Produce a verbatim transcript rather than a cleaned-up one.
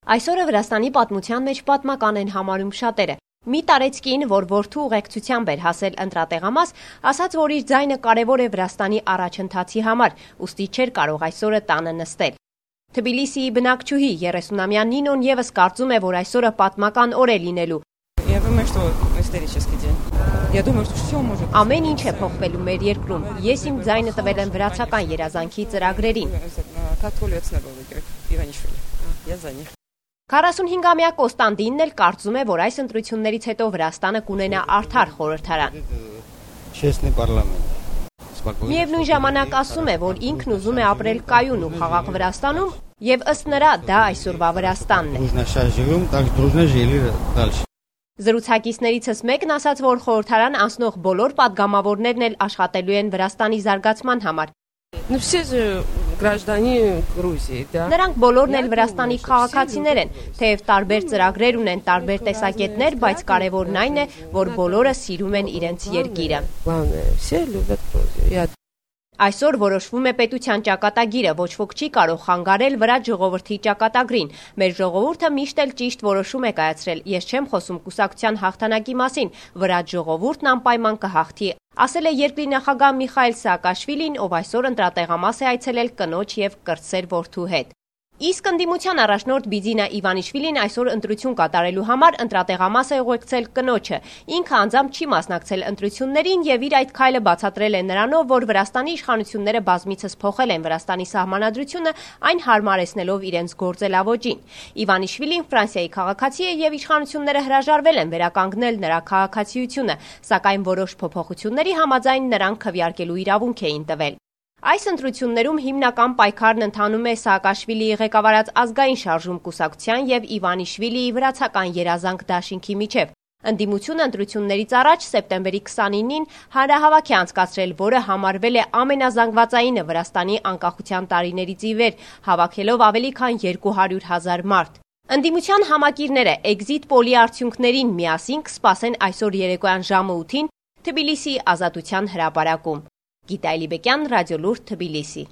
Այսօրը Վրաստանի պատմության մեջ պատմական են համարում շատերը։ Մի տարեցկին, որ որդու ուղեկցությամբ էր հասել ընտրատեղամաս, ասաց, որ իր ձայնը կարևոր է Վրաստանի առաջընթացի համար, ուստի չէր կարող այսօրը տանը նստել։ Թբիլիսիի բնակչուհի երեսունամյա Նինոն ևս կարծում է, որ այսօրը պատմական օր է լինելու։ Ամեն ինչ է փոխվելու մեր երկրում։ Ես իմ ձայնը տվել եմ վրացական երազանքի ծրագրերին։ քառասունհինգամյա Կոստանդինն էլ կարծում է, որ այս ընտրություններից հետո Վրաստանը կունենա արդար խորհրդարան։ Միևնույն ժամանակ ասում է, որ ինքն ուզում է ապրել կայուն ու խաղաղ Վրաստանում, եւ ըստ նրա դա այսօրվա Վրաստանն է։ Զրուցակիցներիցս մեկն ասաց, որ խորհրդարան անցնող բոլոր падգամավորներն էլ աշխատելու են Վրաստանի զարգացման համար։ Նրանք բոլորն էլ Վրաստանի քաղաքացիներ են, թեև տարբեր ծրագրեր ունեն, տարբեր տեսակետներ, բայց կարևորն այն է, որ բոլորը սիրում են իրենց երկիրը։ Այսօր որոշվում է պետության ճակատագիրը, ոչ ոք չի կարող խանգարել վրաց ժողովրդի ճակատագրին։ Մեր ժողովուրդը միշտ էլ ճիշտ որոշում է կայացրել։ Ես չեմ խոսում կուսակցության հաղթանակի մասին, վրաց ժողովուրդն անպայման կհաղթի, ասել է երկրի նախագահ Միխայիլ Սաակաշվիլին, ով այսօր ընտրատեղամաս է այցելել կնոջ եւ կրտսեր որդու հետ։ Իսկ ընդդիմության առաջնորդ Բիձինա Իվանիշվիլին այսօր ընտրություն կատարելու համար ընտրատեղամաս է ուղեկցել կնոջը։ Ինքը անձամբ չի մասնակցել ընտրություններին եւ իր այդ քայլը բացատրել է նրանով, որ Վրաստանի իշխանությունները բազմիցս փոխել են Վրաստանի սահմանադրությունը, այն հարմարեցնելով իրենց գործելավոճին։ Իվանիշվիլին Ֆրանսիայի քաղաքացի է եւ իշխանությունները հրաժարվել են վերականգնել նրա քաղաքացիությունը, սակայն որոշ փոփոխությունների համաձայն նրան քվեարկելու իրավունք էին տվել։ Այս ընտրություններում հիմնական պայքարն ընթանում է Սաակաշվիլիի ղեկավարած ազգային շարժում կուսակցության եւ Իվանիշվիլիի վրացական երազանք դաշինքի միջև։ Ընդդիմությունը ընտրություններից առաջ սեպտեմբերի քսանինին հանրահավաք է անցկացրել, որը համարվել է ամենազանգվածայինը Վրաստանի անկախության տարիներից ի վեր, հավաքելով ավելի քան երկու հարյուր հազար մարդ։ Ընդդիմության համակիրները էքզիտ պոլի արդյունքներին միասին կսպասեն այսօր երեկոյան ժամը ութին Թբիլիսիի Ազատության հրապարակում։ Գիտա Էլիբեկյան, Ռադիոլուրդ, Թբիլիսի։